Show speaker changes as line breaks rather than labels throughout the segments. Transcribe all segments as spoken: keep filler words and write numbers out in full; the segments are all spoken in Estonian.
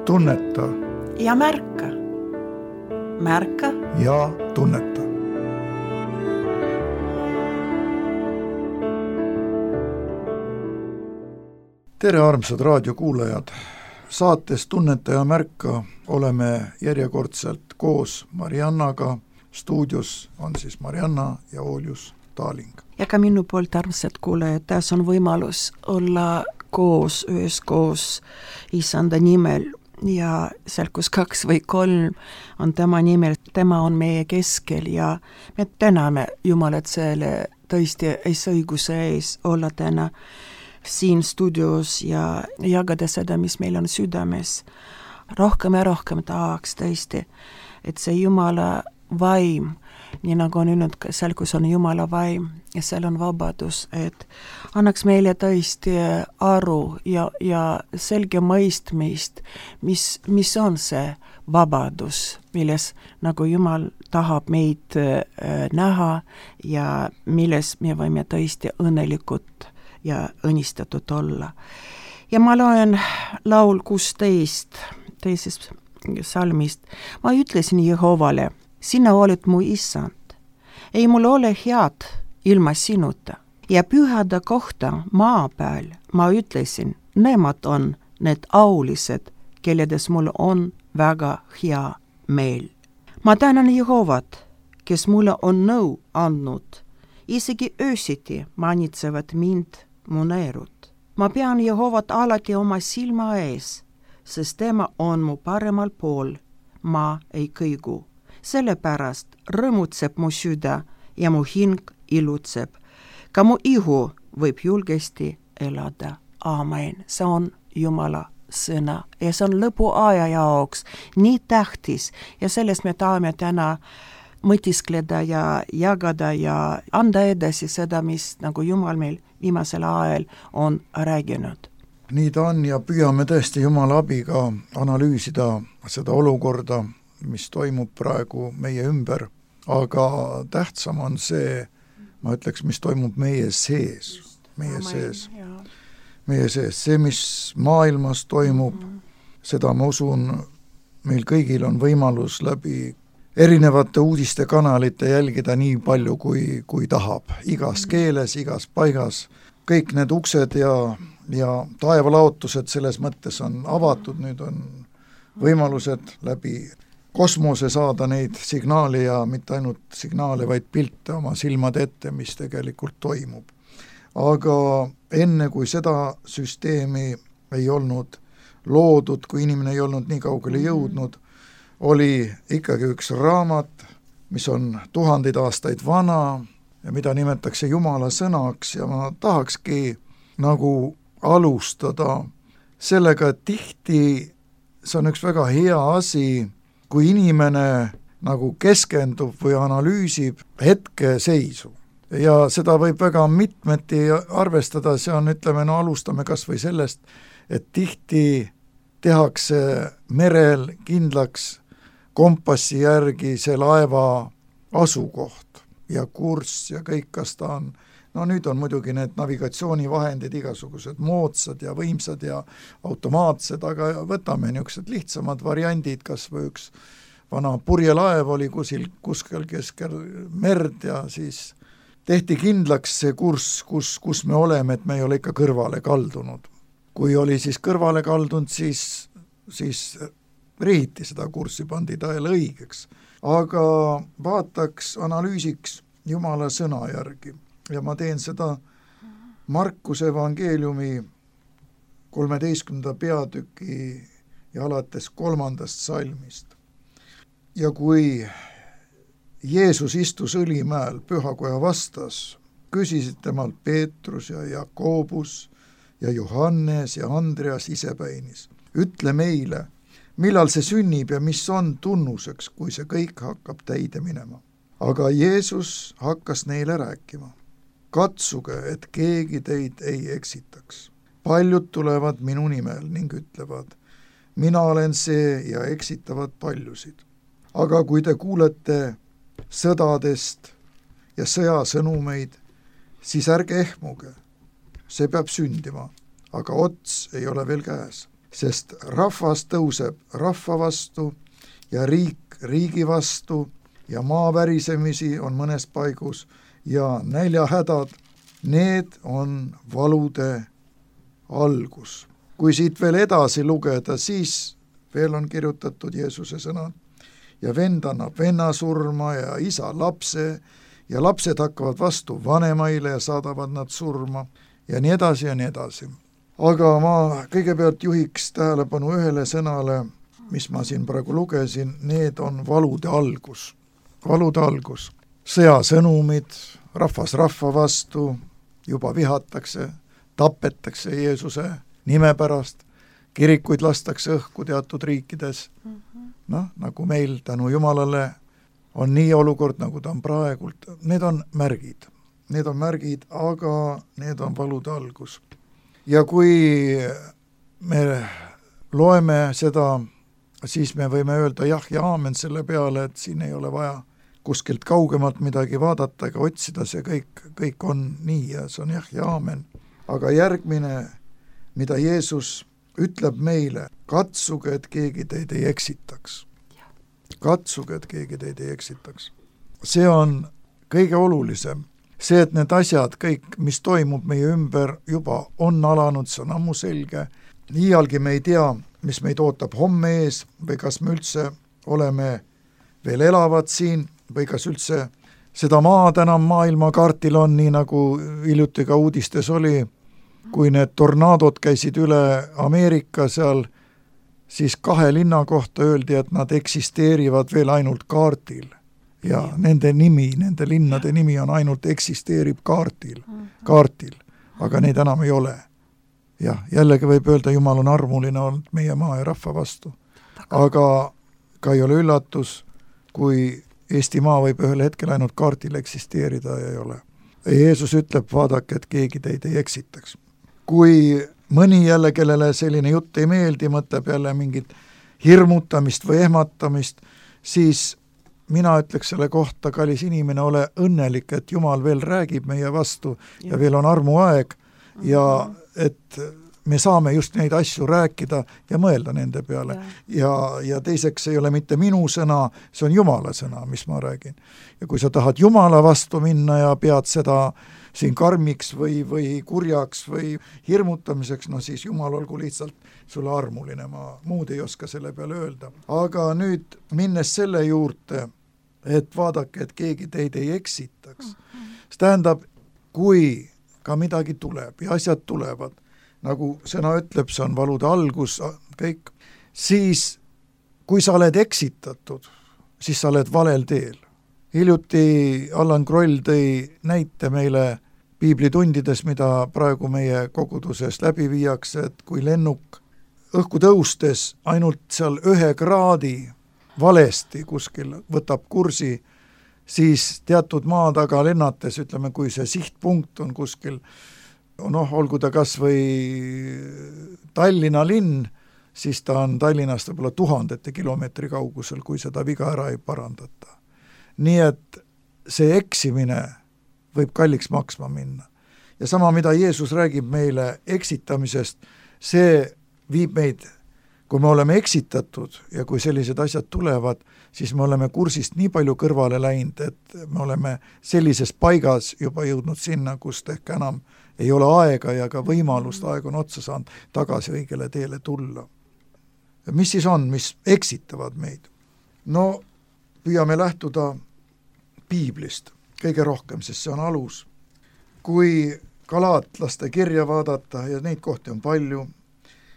tunneta
ja märka. Märka
ja tunneta. Tere, armsad raadiokuulajad! Saates Tunneta ja märka oleme järjekordselt koos Mariannaga. Stuudios on siis Marianna ja Oljus Taaling.
Ja ka minu poolt, armsad kuulajad, taas on võimalus olla koos, üheskoos Issanda nimel. Ja seal, kus kaks või kolm on tema nimel, tema on meie keskel ja me täname Jumalat selle tõesti õiguse ees olla täna siin stuudios ja jagada seda, mis meil on südames. Rohkem ja rohkem tahaks tõesti, et see Jumala vaim, nii nagu on öelnud, seal, kus on Jumala vaim ja seal on vabadus, et annaks meile tõesti aru ja, ja selge mõistmist, mis, mis on see vabadus, milles nagu Jumal tahab meid äh, näha ja milles me võime tõesti õnnelikud ja õnnistatud olla. Ja ma loen laul kuusteist teisest salmist. Ma ütlesin Jehovale, sina oled mu issand. Ei mul ole head ilma sinuta. Ja pühada kohta maa peal ma ütlesin, nemad on need aulised, kelledes mul on väga hea meel. Ma tänan Jehovat, kes mulle on nõu andnud. Isegi öösiti manitsevad mind mu neerud. Ma pean Jehovat alati oma silma ees, sest tema on mu paremal pool, ma ei kõigu. Sellepärast rõõmutseb mu süda ja mu hing ilutseb. Ka mu ihu võib julgesti elada. Aamen. See on Jumala sõna ja see on lõpuaja jaoks nii tähtis ja sellest me tahame täna mõtiskleda ja jagada ja anda edasi seda, mis nagu Jumal meil viimasel ajal on rääginud.
Nii ta on ja püüame tõesti Jumala abiga analüüsida seda olukorda, mis toimub praegu meie ümber, aga tähtsam on see, ma ütleks, mis toimub meie sees, meie Amen, sees, jah. meie sees, see, mis maailmas toimub, mm-hmm. seda ma usun, meil kõigil on võimalus läbi erinevate uudistekanalite jälgida nii palju, kui, kui tahab. Igas keeles, igas paigas. Kõik need uksed ja, ja taevalaotused selles mõttes on avatud. Nüüd on võimalused läbi kosmose saada neid signaale ja mitte ainult signaale, vaid pilte oma silmade ette, mis tegelikult toimub. Aga enne kui seda süsteemi ei olnud loodud, kui inimene ei olnud nii kaugele jõudnud, oli ikkagi üks raamat, mis on tuhandeid aastaid vana ja mida nimetatakse Jumala sõnaks ja ma tahakski nagu alustada sellega, et tihti see on üks väga hea asi, kui inimene nagu keskendub või analüüsib hetkeseisu. Ja seda võib väga mitmeti arvestada, see on, ütleme, no alustame kas või sellest, et tihti tehakse merel kindlaks kompassi järgi see laeva asukoht ja kurss ja kõik, kas ta on, no nüüd on muidugi need navigatsioonivahendid igasugused moodsad ja võimsad ja automaatsed, aga võtame niisugused lihtsamad variandid, kas või üks vana purjelaev oli kusil, kuskel keskel merd ja siis tehti kindlaks see kurss, kus, kus me oleme, et me ei ole ikka kõrvale kaldunud. Kui oli siis kõrvale kaldunud, siis, siis rihiti seda kurssi, pandi ta jälle õigeks. Aga vaataks, analüüsiks Jumala sõna järgi ja ma teen seda Markuse evangeeliumi kolmeteistkümnenda peatüki ja alates kolmandast salmist. Ja kui Jeesus istus Õlimäel pühakoja vastas, küsisid temalt Peetrus ja Jakobus ja Johannes ja Andreas isepäinis. Ütle meile, millal see sünnib ja mis on tunnuseks, kui see kõik hakkab täide minema. Aga Jeesus hakkas neile rääkima. Katsuge, et keegi teid ei eksitaks. Paljud tulevad minu nimel ning ütlevad, mina olen see ja eksitavad paljusid. Aga kui te kuulete sõdadest ja sõjasõnumeid, siis ärge ehmuge. See peab sündima, aga ots ei ole veel käes. sest rahvas tõuseb rahva vastu ja riik riigi vastu ja maavärisemisi on mõnes paigus ja näljahädad, need on valude algus. Kui siit veel edasi lugeda, siis veel on kirjutatud Jeesuse sõnad ja vend annab venna surma ja isa lapse ja lapsed hakkavad vastu vanemaile ja saadavad nad surma ja nii edasi ja nii edasi. Aga ma kõigepealt juhiks tähelepanu ühele sõnale, mis ma siin praegu lugesin, need on valude algus. Valude algus. Sõjasõnumid, rahvas rahva vastu, juba vihatakse, tapetakse Jeesuse nime pärast, kirikuid lastakse õhku teatud riikides. Noh, nagu meil tänu Jumalale on nii olukord, nagu ta on praegult. Need on märgid. Need on märgid, aga need on valude algus. Ja kui me loeme seda, siis me võime öelda jah ja aamen selle peale, et siin ei ole vaja kuskilt kaugemalt midagi vaadata ega otsida, see kõik, kõik on nii ja see on jah ja aamen. Aga järgmine, mida Jeesus ütleb meile, katsuge, et keegi teid ei eksitaks. Katsuge, et keegi teid ei eksitaks. See on kõige olulisem. See, et need asjad, kõik, mis toimub meie ümber, juba on alanud, see on ammu selge. Iialgi me ei tea, mis meid ootab homme ees või kas me üldse oleme veel elavad siin või kas üldse seda maad enam maailmakaartil on, nii nagu hiljuti ka uudistes oli, kui need tornaadod käisid üle Ameerika seal, siis kahe linna kohta öeldi, et nad eksisteerivad veel ainult kaartil. Ja nende nimi, nende linnade nimi on ainult eksisteerib kaartil, kaartil, aga neid enam ei ole. Jah, jällegi võib öelda, Jumal on armuline olnud meie maa ja rahva vastu. Aga ka ei ole üllatus, kui Eesti maa võib ühel hetkel ainult kaartil eksisteerida ja ei ole. Jeesus ütleb, vaadake, et keegi teid ei eksitaks. Kui mõni jälle, kellele selline jutt ei meeldi, mõtleb jälle mingit hirmutamist või ehmatamist, siis mina ütleks selle kohta, kallis inimene, ole õnnelik, et Jumal veel räägib meie vastu ja veel on armuaeg ja et me saame just neid asju rääkida ja mõelda nende peale. Ja, ja teiseks ei ole mitte minu sõna, see on Jumala sõna, mis ma räägin. Ja kui sa tahad Jumala vastu minna ja pead seda siin karmiks või, või kurjaks või hirmutamiseks, no siis Jumal olgu lihtsalt sulle armuline, ma muud ei oska selle peale öelda. Aga nüüd minnes selle juurde, et vaadake, et keegi teid ei eksitaks. See tähendab, kui ka midagi tuleb ja asjad tulevad, nagu sõna ütleb, see on valude algus, kõik, siis kui sa oled eksitatud, siis sa oled valel teel. Hiljuti Allan Kroll tõi näite meile piiblitundides, mida praegu meie koguduses läbi viiakse, et kui lennuk õhku tõustes ainult seal ühe kraadi valesti kuskil võtab kursi, siis teatud maa taga lennates, ütleme, kui see sihtpunkt on kuskil, noh, olgu ta kas või Tallinna linn, siis ta on Tallinnast võib-olla tuhandete kilomeetri kaugusel, kui seda viga ära ei parandata. Nii et see eksimine võib kalliks maksma minna. Ja sama, mida Jeesus räägib meile eksitamisest, see viib meid, kui me oleme eksitatud ja kui sellised asjad tulevad, siis me oleme kursist nii palju kõrvale läinud, et me oleme sellises paigas juba jõudnud sinna, kust ehk enam ei ole aega ja ka võimalust, aeg on otsa saanud tagasi õigele teele tulla. Mis siis on, mis eksitavad meid? No püüame lähtuda piiblist kõige rohkem, sest see on alus. Kui Galaatlaste kirja vaadata, ja neid kohti on palju,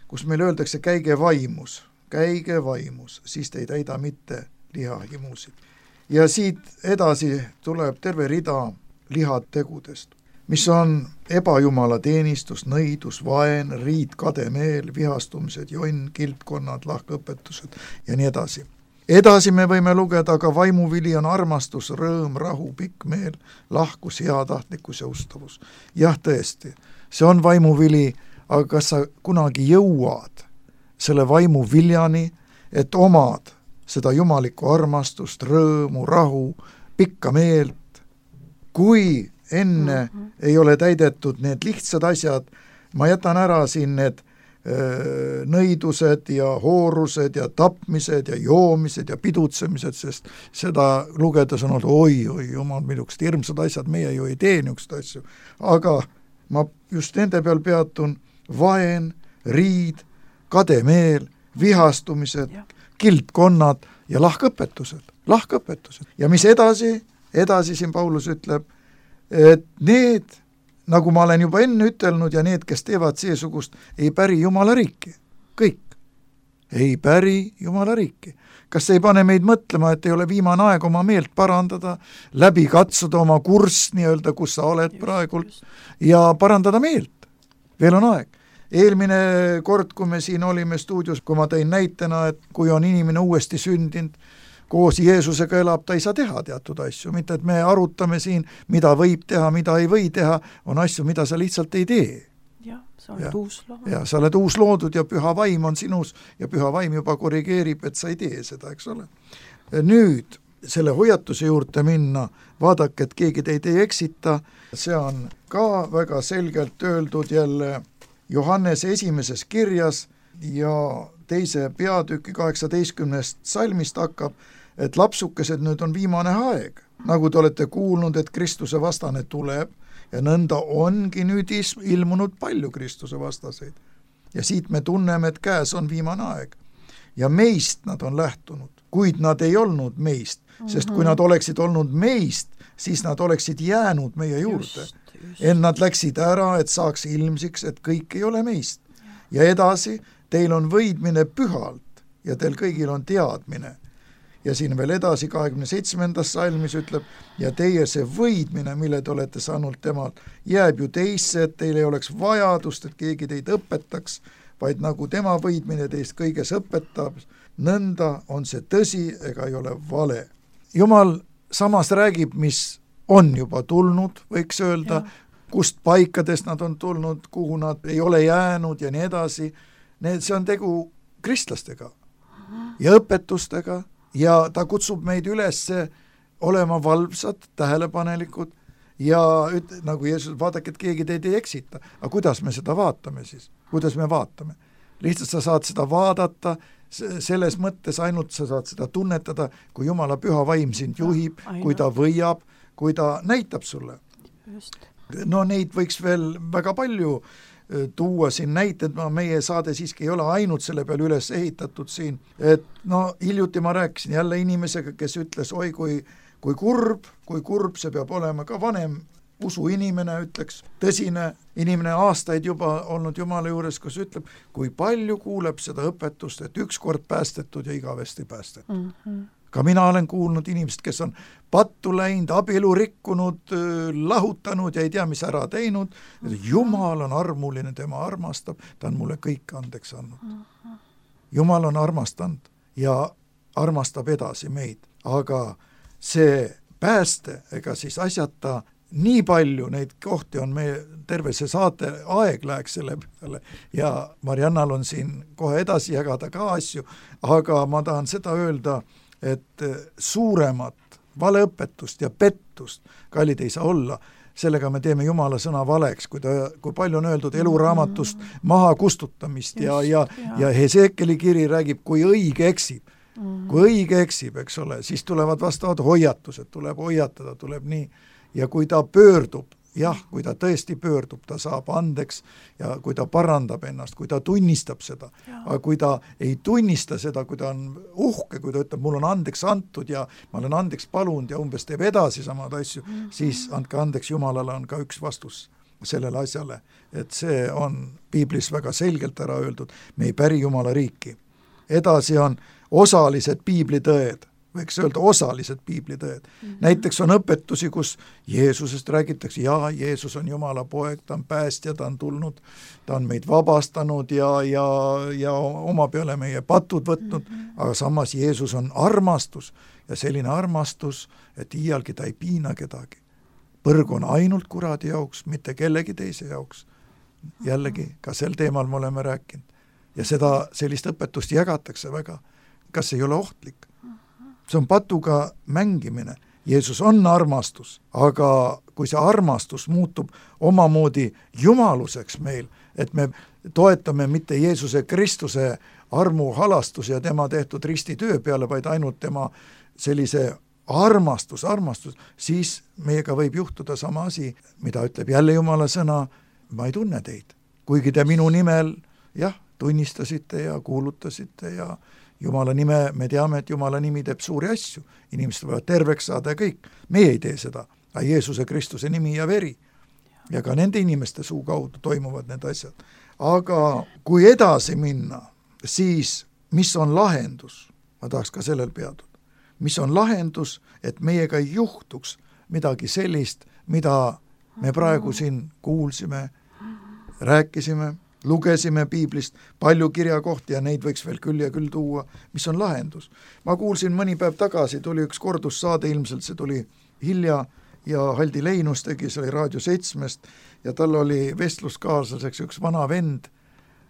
kus meil öeldakse käige vaimus, käige vaimus, siis te ei täida mitte lihahimusid. Ja siit edasi tuleb terve rida lihategudest, mis on ebajumala teenistus, nõidus, vaen, riid, kademeel, vihastumised, jonn, kilpkonnad, lahkõpetused ja nii edasi. Edasi me võime lugeda, aga vaimuvili on armastus, rõõm, rahu, pikk meel, lahkus, heatahtlikkus ja ustavus. Jah, tõesti, see on vaimuvili, aga kas sa kunagi jõuad selle vaimuviljani, et omad seda jumalikku armastust, rõõmu, rahu, pikka meelt, kui enne mm-hmm. ei ole täidetud need lihtsad asjad, ma jätan ära siin need nõidused ja hoorused ja tapmised ja joomised ja pidutsemised, sest seda lugedes on olnud oi, oi, jumal, millised hirmsad asjad, meie ju ei tee niisugust asju. Aga ma just nende peal peatun: vaen, riid, kademeel, vihastumised, kildkonnad ja lahkõpetused, lahkõpetused. Ja mis edasi, edasi siin Paulus ütleb, et need, nagu ma olen juba enne ütelnud, ja need, kes teevad seesugust, ei päri Jumala riiki. Kõik. Ei päri Jumala riiki. Kas see ei pane meid mõtlema, et ei ole viimane aeg oma meelt parandada, läbi katsuda oma kurss nii-öelda, kus sa oled just, praegult, just. Ja parandada meelt? Veel on aeg. Eelmine kord, kui me siin olime stuudios, kui ma tõin näitena, et kui on inimene uuesti sündinud, koos Jeesusega elab, ta ei saa teha teatud asju, mitte et me arutame siin, mida võib teha, mida ei või teha, on asju, mida sa lihtsalt ei tee.
Jah, sa oled ja, uus loodud.
Ja sa oled uus loodud ja püha vaim on sinus ja püha vaim juba korrigeerib, et sa ei tee seda, eks ole. Nüüd selle hoiatuse juurde minna, vaadake, et keegi teid ei eksita, see on ka väga selgelt öeldud jälle Johannese esimeses kirjas ja teise peatüki kaheksateistkümnest salmist hakkab, et lapsukesed, nüüd on viimane aeg. Nagu te olete kuulnud, et Kristuse vastane tuleb ja nõnda ongi nüüd ilmunud palju Kristuse vastaseid. Ja siit me tunneme, et käes on viimane aeg. Ja meist nad on lähtunud, kuid nad ei olnud meist, sest kui nad oleksid olnud meist, siis nad oleksid jäänud meie juurde. En nad läksid ära, et saaks ilmsiks, et kõik ei ole meist. Ja edasi, teil on võidmine pühalt ja teil kõigil on teadmine. Ja siin veel edasi kahekümne seitsmendas salmis ütleb, ja teie see võidmine, mille te olete saanud temalt, jääb ju teisse, et teil ei oleks vajadust, et keegi teid õpetaks, vaid nagu tema võidmine teist kõiges õpetab, nõnda on see tõsi ega ei ole vale. Jumal samas räägib, mis on juba tulnud, võiks öelda, ja. Kust paikadest nad on tulnud, kuhu nad ei ole jäänud ja nii edasi. Need, see on tegu kristlastega ja õpetustega ja ta kutsub meid üles olema valvsad, tähelepanelikud ja üt, nagu Jeesus, vaadake, et keegi teid ei eksita. Aga kuidas me seda vaatame siis? Kuidas me vaatame? Lihtsalt sa saad seda vaadata, selles mõttes ainult sa saad seda tunnetada, kui Jumala püha vaim sind juhib, ja, kui ta võiab, kui ta näitab sulle. Just. No neid võiks veel väga palju tuua siin näited, ma meie saade siiski ei ole ainult selle peal üles ehitatud siin, et no hiljuti ma rääkisin jälle inimesega, kes ütles, oi kui, kui kurb, kui kurb see peab olema, ka vanem usuinimene ütleks, tõsine inimene aastaid juba olnud Jumala juures, kus ütleb, kui palju kuuleb seda õpetust, et ükskord päästetud ja igavesti päästetud. Mm-hmm. Ka mina olen kuulnud inimesed, kes on pattu läinud, abielu rikkunud, lahutanud ja ei tea, mis ära teinud. Jumal on armuline, tema armastab, ta on mulle kõik andeks andnud. Jumal on armastanud ja armastab edasi meid, aga see pääste, ega siis asjata nii palju neid kohti on meie terve see saate aeg läheks selle peale ja Mariannal on siin kohe edasi jagada ka asju, aga ma tahan seda öelda, et suuremat valeõpetust ja pettust, kallid ei saa olla, sellega me teeme Jumala sõna valeks, kui, ta, kui palju on öeldud eluraamatust maha kustutamist ja, ja, ja Heseekeli kiri räägib, kui õige eksib. Kui õige eksib, eks ole, siis tulevad vastavad hoiatused, tuleb hoiatada, tuleb nii. Ja kui ta pöördub, jah, kui ta tõesti pöördub, ta saab andeks ja kui ta parandab ennast, kui ta tunnistab seda, aga kui ta ei tunnista seda, kui ta on uhke, kui ta ütleb, mul on andeks antud ja ma olen andeks palunud ja umbes teeb edasi samad asju, mm-hmm. siis andke andeks, Jumalale on ka üks vastus sellele asjale, et see on piiblis väga selgelt ära öeldud, me ei päri Jumala riiki. Edasi on osalised piiblitõed, võiks öelda osalised piiblitõed. Mm-hmm. Näiteks on õpetusi, kus Jeesusest räägitakse, jaa, Jeesus on Jumala poeg, ta on päästja, ta on tulnud, ta on meid vabastanud ja, ja, ja oma peale meie patud võtnud, mm-hmm. aga samas Jeesus on armastus ja selline armastus, et iialgi ta ei piina kedagi. Põrg on ainult kuradi jaoks, mitte kellegi teise jaoks. Jällegi, ka sel teemal me oleme rääkinud. Ja seda, sellist õpetust jagatakse väga. Kas ei ole ohtlik? See on patuga mängimine. Jeesus on armastus, aga kui see armastus muutub omamoodi jumaluseks meil, et me toetame mitte Jeesuse Kristuse armuhalastus ja tema tehtud ristitöö peale, vaid ainult tema sellise armastus, armastus, siis meiega võib juhtuda sama asi, mida ütleb jälle Jumala sõna, ma ei tunne teid. Kuigi te minu nimel, jah, tunnistasite ja kuulutasite ja Jumala nime, me teame, et Jumala nimi teeb suuri asju, inimesed võivad terveks saada ja kõik. Meie ei tee seda, aga Jeesuse Kristuse nimi ja veri. Ja ka nende inimeste suu kaudu toimuvad need asjad. Aga kui edasi minna, siis mis on lahendus? Ma tahaks ka sellel peaduda. Mis on lahendus, et meiega ei juhtuks midagi sellist, mida me praegu siin kuulsime, rääkisime, lugesime piiblist, palju kirjakohti ja neid võiks veel küll ja küll tuua. Mis on lahendus? Ma kuulsin mõni päev tagasi, tuli üks kordussaade, ilmselt see tuli hilja ja Haldi Leinus tegi, see oli Raadio seitsmest ja tal oli vestluskaaslaseks üks vana vend.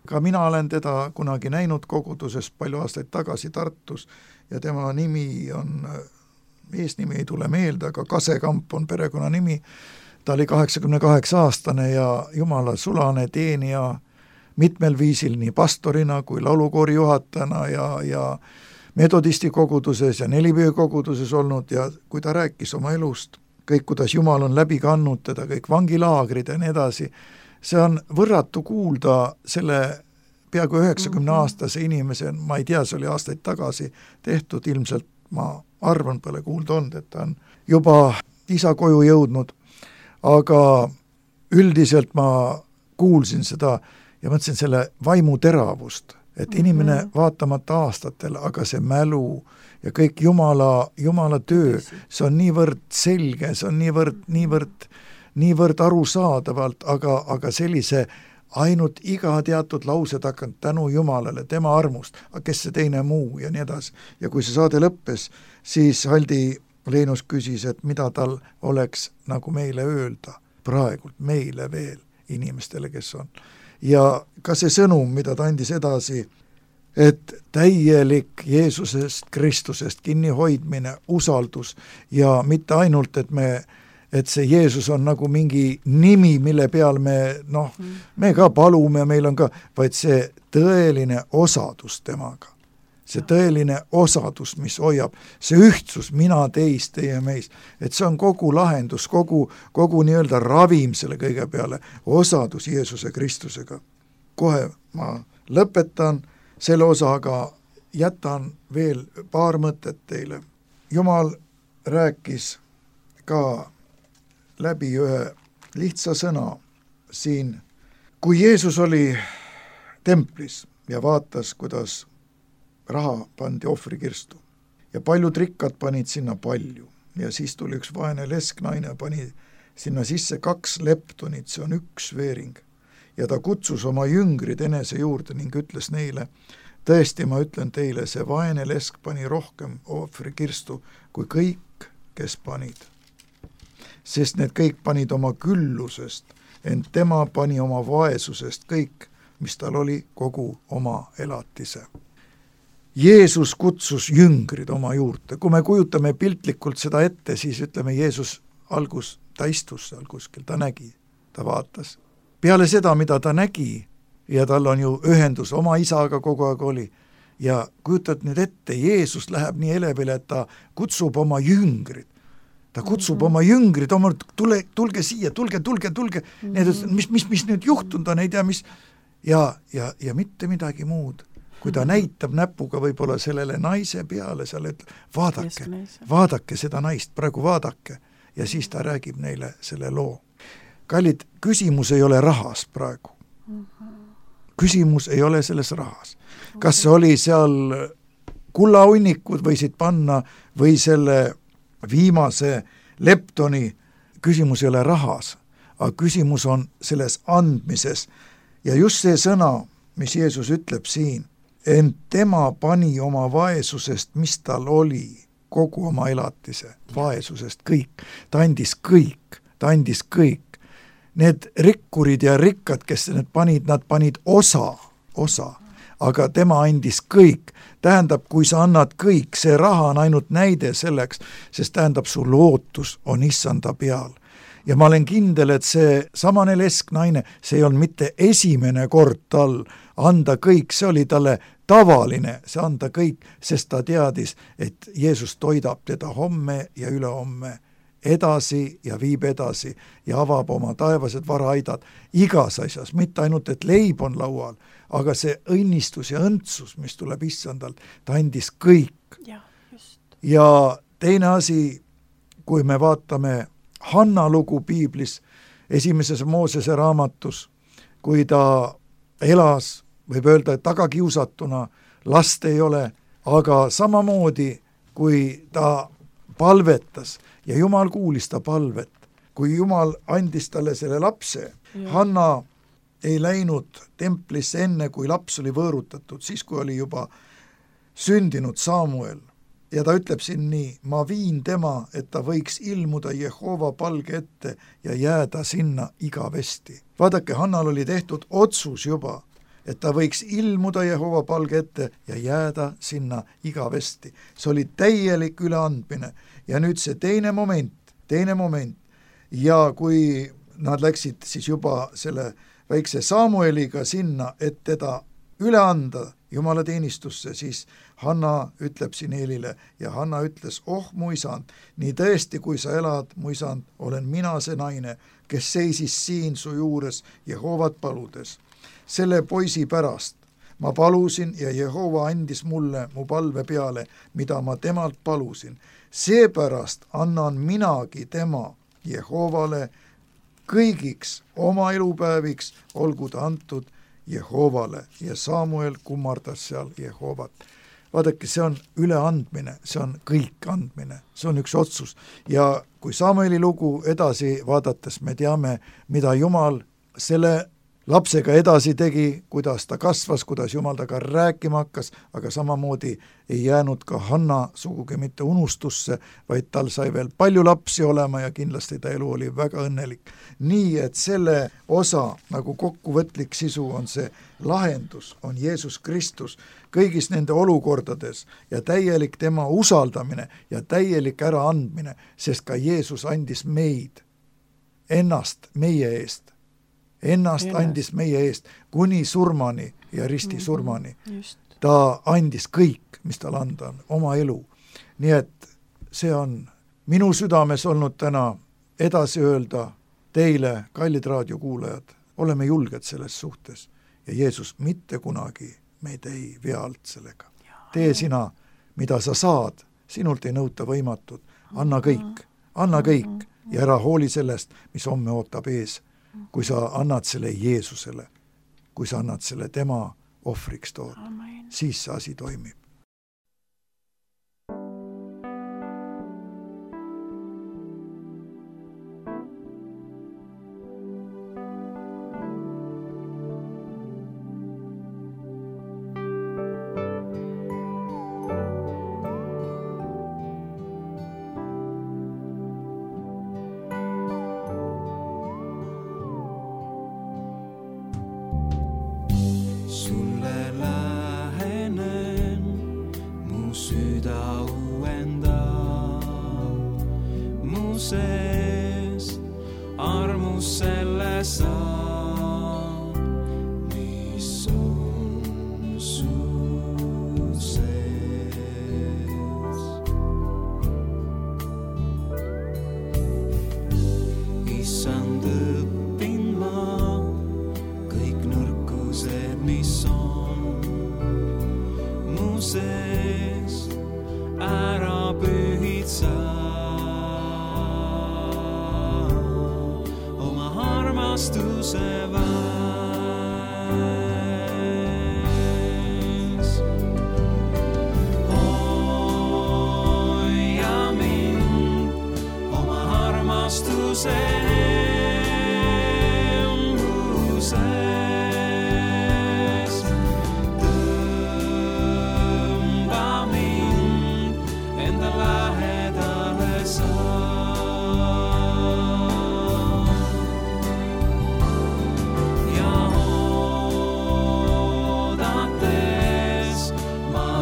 Ka mina olen teda kunagi näinud koguduses palju aastaid tagasi Tartus ja tema nimi on, eesnimi ei tule meelde, aga Kasekamp on perekonna nimi. Ta oli kaheksakümne kaheksa aastane ja Jumala sulane teenija mitmel viisil nii pastorina kui laulukoori juhatajana ja, ja metodisti koguduses ja nelipöö koguduses olnud ja kui ta rääkis oma elust, kõik kuidas Jumal on läbi kannud teda, kõik vangilaagrid ja nii edasi, see on võrratu kuulda selle peaaegu üheksakümne aastase inimese, ma ei tea, see oli aastaid tagasi tehtud, ilmselt ma arvan, pole kuulda olnud, et ta on juba isa koju jõudnud, aga üldiselt ma kuulsin seda ja mõtlesin selle vaimu teravust, et inimene vaatamata aastatel, aga see mälu ja kõik Jumala, Jumala töö, see on niivõrd selge, see on niivõrd, niivõrd, niivõrd arusaadavalt, aga, aga sellise ainult iga teatud lause takanud tänu Jumalale, tema armust, kes see teine muu ja nii edasi. Ja kui see saade lõppes, siis Haldi Leinus küsis, et mida tal oleks nagu meile öelda, praegult meile veel, inimestele, kes on. Ja ka see sõnum, mida ta andis edasi, et täielik Jeesusest, Kristusest kinnihoidmine, usaldus ja mitte ainult, et me et see Jeesus on nagu mingi nimi, mille peal me, noh, me ka palume, meil on ka, vaid see tõeline osadus temaga. See tõeline osadus, mis hoiab, see ühtsus, mina teist, teie meist, et see on kogu lahendus, kogu, kogu nii-öelda ravim selle kõige peale, osadus Jeesuse Kristusega. Kohe ma lõpetan selle osa, aga jätan veel paar mõtet teile. Jumal rääkis ka läbi ühe lihtsa sõna siin, kui Jeesus oli templis ja vaatas, kuidas raha pandi ohvrikirstu ja paljud rikkad panid sinna palju ja siis tuli üks vaene lesknaine, pani sinna sisse kaks leptonit, see on üks veering ja ta kutsus oma jüngrid enese juurde ning ütles neile, tõesti ma ütlen teile, see vaene lesk pani rohkem ohvrikirstu kui kõik, kes panid. Sest need kõik panid oma küllusest, ent tema pani oma vaesusest kõik, mis tal oli kogu oma elatise. Jeesus kutsus jüngrid oma juurde. Kui me kujutame piltlikult seda ette, siis ütleme, Jeesus algus, ta istus seal kuskil, ta nägi, ta vaatas. Peale seda, mida ta nägi, ja tal on ju ühendus oma isaga kogu aeg oli, ja kujutad nüüd ette, Jeesus läheb nii elevile, et ta kutsub oma jüngrid. Ta kutsub mm-hmm. oma jüngrid, oma, tule, tulge siia, tulge, tulge, tulge, mm-hmm. need, mis, mis, mis nüüd juhtunud on, ei tea, mis, ja, ja, ja mitte midagi muud. Kui ta mm-hmm. näitab näpuga võib-olla sellele naise peale, seal ütleb, vaadake, vaadake seda naist, praegu vaadake, ja siis ta räägib neile selle loo. Kallid, küsimus ei ole rahas praegu. Mm-hmm. Küsimus ei ole selles rahas. Kas see oli seal kullahunnikud võisid panna või selle viimase leptoni, küsimus ei ole rahas, aga küsimus on selles andmises. Ja just see sõna, mis Jeesus ütleb siin, ent tema pani oma vaesusest, mis tal oli, kogu oma elatise, vaesusest kõik. Ta andis kõik, ta andis kõik. Need rikkurid ja rikkad, kes need panid, nad panid osa, osa. Aga tema andis kõik. Tähendab, kui sa annad kõik, see raha on ainult näide selleks, sest tähendab, su lootus on issanda peal. ja ma olen kindel, et see samane lesknaine, see ei olnud mitte esimene kord tal anda kõik, see oli talle tavaline, see anda kõik, sest ta teadis, et Jeesus toidab teda homme ja ülehomme edasi ja viib edasi ja avab oma taevased varaaidad igas asjas, mitte ainult, et leib on laual, aga see õnnistus ja õndsus, mis tuleb issandalt, ta andis kõik.
Ja, just.
Ja teine asi, kui me vaatame Hanna lugu piiblis, esimeses Moosese raamatus, kui ta elas, võib öelda, et tagakiusatuna, last ei ole, aga samamoodi, kui ta palvetas ja Jumal kuulis ta palvet, kui Jumal andis talle selle lapse, ja. Hanna ei läinud templisse enne, kui laps oli võõrutatud, siis kui oli juba sündinud Samuel. Ja ta ütleb siin nii, ma viin tema, et ta võiks ilmuda Jehova palge ette ja jääda sinna igavesti. Vaadake, Hannal oli tehtud otsus juba, et ta võiks ilmuda Jehova palge ette ja jääda sinna igavesti. See oli täielik üleandmine. Ja nüüd see teine moment, teine moment. Ja kui nad läksid siis juba selle väikse Samueliga sinna, et teda üle anda Jumala teenistusse, siis Hanna ütleb siin Eelile ja Hanna ütles, oh mu isand, nii tõesti, kui sa elad, mu isand, olen mina see naine, kes seisis siin su juures Jehovat paludes. Selle poisi pärast ma palusin ja Jehova andis mulle mu palve peale, mida ma temalt palusin. Seepärast annan minagi tema Jehovale kõigiks oma elupäeviks, olgu ta antud Jehovale ja Samuel kummardas seal Jehovat. Vaadake, see on üleandmine, see on kõik andmine, see on üks otsus. Ja kui Samueli lugu edasi vaadates me teame, mida Jumal selle lapsega edasi tegi, kuidas ta kasvas, kuidas Jumal taga rääkima hakkas, aga samamoodi ei jäänud ka Hanna sugugi mitte unustusse, vaid tal sai veel palju lapsi olema ja kindlasti ta elu oli väga õnnelik. Nii, et selle osa nagu kokkuvõtlik sisu on see lahendus, on Jeesus Kristus kõigis nende olukordades ja täielik tema usaldamine ja täielik äraandmine, sest ka Jeesus andis meid ennast meie eest. Ennast Ennast. andis meie eest kuni surmani ja risti surmani. Just. Ta andis kõik, mis tal anda on, oma elu. Nii et see on minu südames olnud täna edasi öelda teile, kallid raadiokuulajad, oleme julged selles suhtes ja Jeesus mitte kunagi meid ei vea alt sellega. Tee sina, mida sa saad, sinult ei nõuta võimatud, anna kõik, anna kõik ja ära hooli sellest, mis homme ootab ees. Kui sa annad selle Jeesusele, kui sa annad selle tema ohvriks tood, Amen. Siis see asi toimib.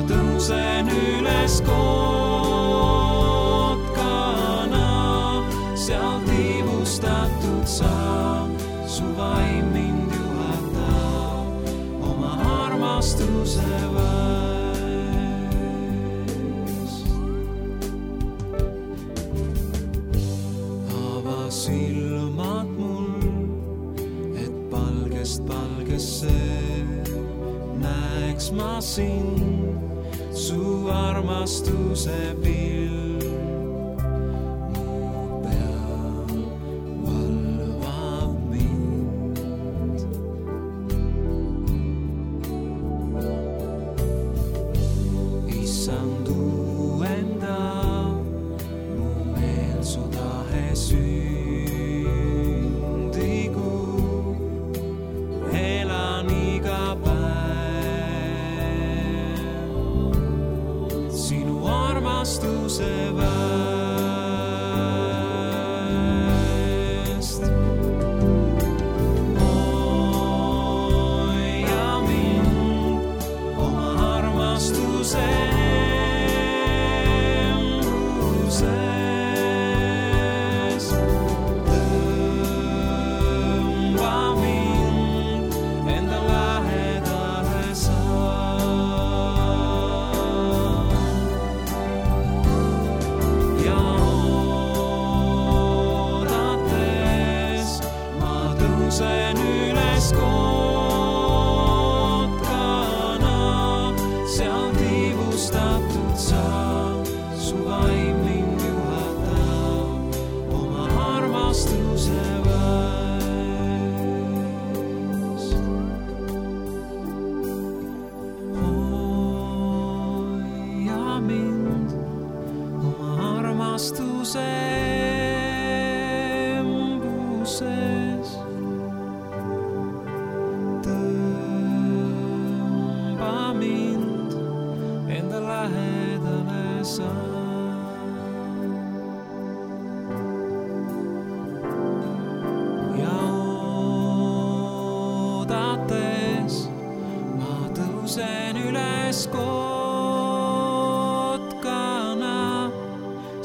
Tõusen üles kotkana, seal tiivustan. armastuse väest. Ava silmad mul, et palgest palgesse näeks ma sind, su armastuse pill.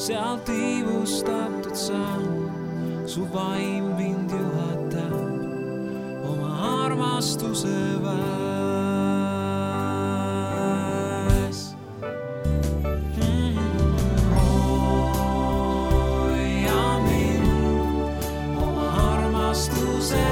Sealt iivustatud saan, su vaim mind juhatab oma armastuse väes. Hoia mind oma armastuse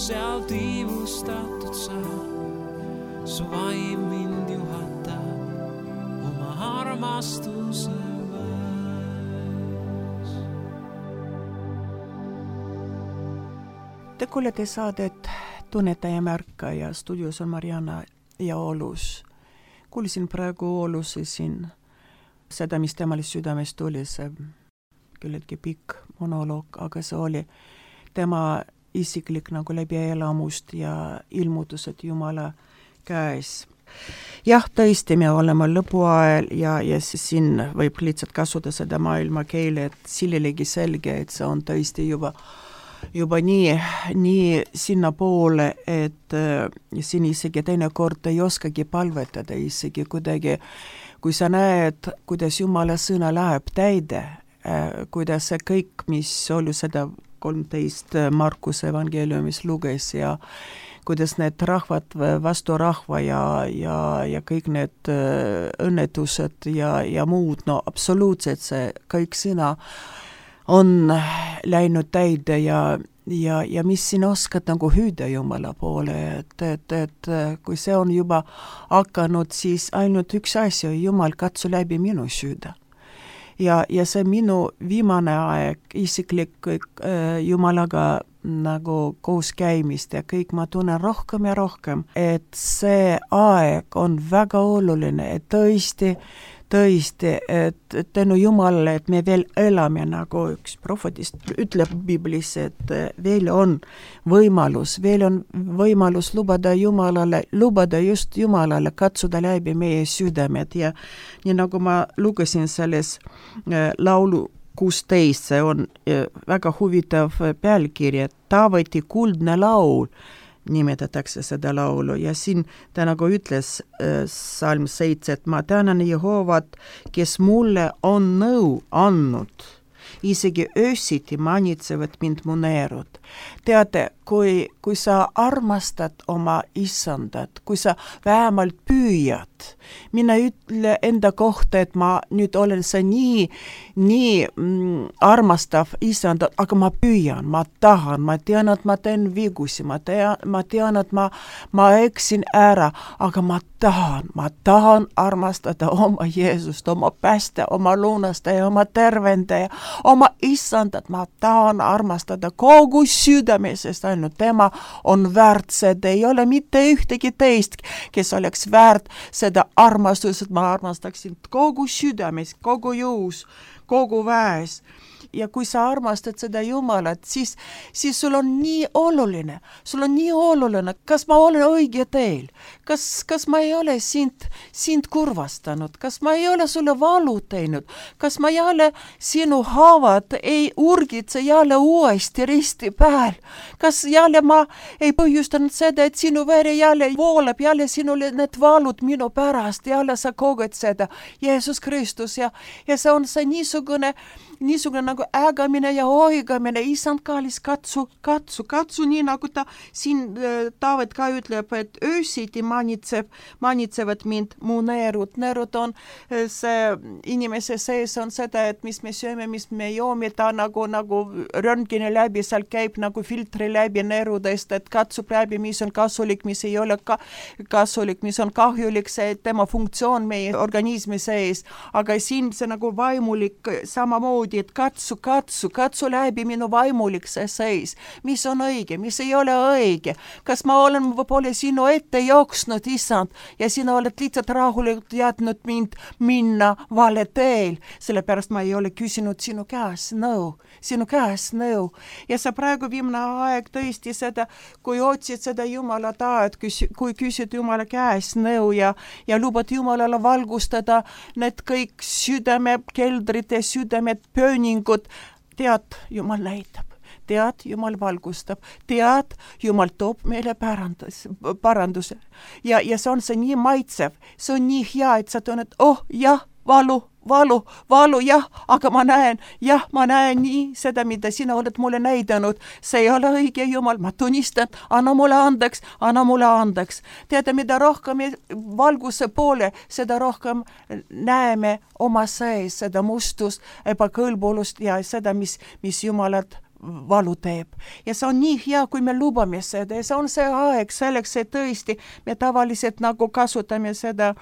sealt iivustatud saa, su vaim mind juhatab oma armastuse väes.
Te kuulete saadet Tunneta ja märka ja stuudios on Mariana ja Oolus. Kuulisin praegu Oolusi siin seda, mis temale südamest tuli, see küllaltki pikk monoloog, aga see oli tema isiklik nagu läbi elamust ja ilmutused Jumala käes. Jah, tõesti, me oleme lõpuajal ja, ja siin võib lihtsalt kasutada seda maailma keele, et sillelegi selge, et see on tõesti juba, juba nii, nii sinna poole, et äh, siin isegi teine kord ei oskagi palvetada isegi kuidagi, kui sa näed, kuidas Jumala sõna läheb täide, äh, kuidas see kõik, mis oli seda kolmteist Markuse evangeeliumis luges ja kuidas need rahvad vastu rahva ja, ja, ja kõik need õnnetused ja, ja muud, no absoluutselt see kõik sõna on läinud täide ja, ja, ja mis siin oskad nagu hüüda Jumala poole, et, et, et kui see on juba hakanud, siis ainult üks asja, Jumal, katsu läbi minu süüda. Ja, ja see minu viimane aeg isiklik äh, Jumalaga nagu koos käimist ja kõik ma tunnen rohkem ja rohkem, et see aeg on väga oluline, et tõesti tõesti, et tänu Jumalale, et me veel elame, nagu üks prohvetist ütleb Biblis, et veel on võimalus, veel on võimalus lubada Jumalale, lubada just Jumalale katsuda läbi meie südamed ja nii nagu ma lugesin selles laulu kuusteist, see on väga huvitav pealkiri, et Taaveti kuldne laul, nimetatakse seda laulu ja siin ta nagu ütles äh, salm seitse, et ma tänan Jehovat, kes mulle on nõu andnud, isegi öösiti manitsevad mind mu neerud. Teate, kui, kui sa armastad oma isandat, kui sa vähemalt püüad, mina ütle enda kohta, et ma nüüd olen see nii, nii mm, armastav isandat, aga ma püüan, ma tahan, ma tean, et ma teen vigusi, ma tean, ma tean, et ma, ma eksin ära, aga ma tahan, ma tahan armastada oma Jeesust, oma pääste, oma lunastaja, oma tervendaja, oma isandat, ma tahan armastada kogu südame, sest ainult tema on väärt seda, ei ole mitte ühtegi teist, kes oleks väärt seda armastust, et ma armastaksin kogu südames, kogu jõus, kogu väes. Ja kui sa armastad seda Jumalat, siis, siis sul on nii oluline, sul on nii oluline, kas ma olen õige teel, kas, kas ma ei ole sind, sind kurvastanud, kas ma ei ole sulle valu teinud, kas ma jälle sinu haavad ei urgitse jälle uuesti risti peal, kas jälle ma ei põhjustanud seda, et sinu veri jälle voolab, jälle sinule need valud minu pärast, jälle sa koged seda, Jeesus Kristus ja, ja see on see niisugune, niisugune nagu ägamine ja oigamine, isand kallis, katsu, katsu, katsu, nii nagu ta siin Taavet ka ütleb, et öösiti manitseb, manitsevad mind mu neerud. Neerud on see inimese sees on seda, et mis me sööme, mis me joome, ta nagu, nagu röntgeni läbi, seal käib nagu filtri läbi neerudest, et katsub läbi, mis on kasulik, mis ei ole ka, kasulik, mis on kahjulik, see tema funktsioon meie organismi sees, aga siin see nagu vaimulik samamoodi, et katsu, katsu, katsu läbi minu vaimulik see seis, mis on õige, mis ei ole õige, kas ma olen võib-olla sinu ette jooksnud, isand, ja sina oled lihtsalt rahulikult jätnud mind minna vale teel, sellepärast ma ei ole küsinud sinu käes nõu, sinu käes nõu, ja sa praegu viimne aeg tõesti seda, kui otsid seda Jumala tahet, kui küsid Jumala käes nõu ja, ja lubad Jumalale valgustada need kõik südame, keldrite südamed, pööningud, tead, Jumal näitab, tead, Jumal valgustab, tead, Jumal toob meile pärandus, paranduse. Ja, ja see on see nii maitsev, see on nii hea, et sa tunned, oh jah, valu, valu, valu, jah, aga ma näen, jah, ma näen nii seda, mida sina oled mulle näidanud. See ei ole õige, Jumal, ma tunnistan, anna mulle andeks, anna mulle andeks. Teada, mida rohkem valguse poole, seda rohkem näeme oma sees, seda mustust, ebakõlbulust ja seda, mis, mis Jumalat valu teeb. Ja see on nii hea, kui me lubame seda ja see on see aeg selleks, et tõesti me tavaliselt nagu kasutame seda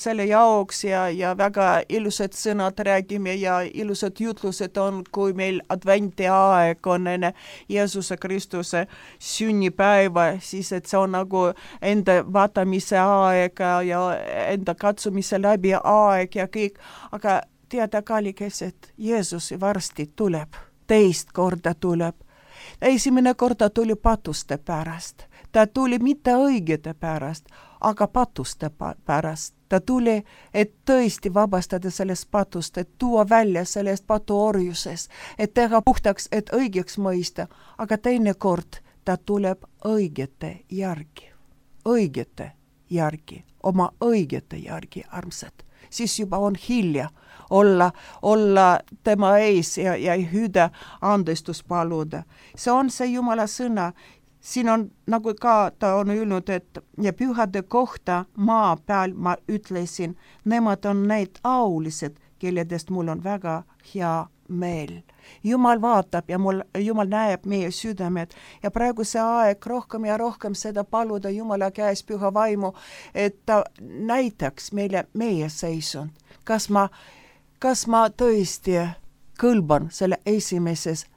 selle jaoks ja, ja väga ilusad sõnad räägime ja ilusad jutlused on, kui meil adventi aeg on enne Jeesuse Kristuse sünnipäeva, siis et see on nagu enda vaatamise aeg ja enda katsumise läbi aeg ja kõik, aga teada kallikes, et Jeesus varsti tuleb. Teist korda tuleb. Esimene korda tuli patuste pärast. Ta tuli mitte õigete pärast, aga patuste pärast. Ta tuli, et tõesti vabastada sellest patust, et tuua välja sellest patuorjusest, et teha puhtaks, et õigeks mõista. Aga teine kord ta tuleb õigete järgi. Õigete järgi. Oma õigete järgi, armsad. Siis juba on hilja olla, olla tema ees ja, ja hüüda andestus paluda. See on see Jumala sõna. Siin on nagu ka ta on öelnud, et ja pühade kohta maa peal ma ütlesin, nemad on need aulised, kelledest mul on väga hea meel. Jumal vaatab ja mul, Jumal näeb meie südamed ja praegu see aeg rohkem ja rohkem seda paluda Jumala käes püha vaimu, et ta näitaks meile meie seisund. Kas ma, kas ma tõesti kõlban selle esimeses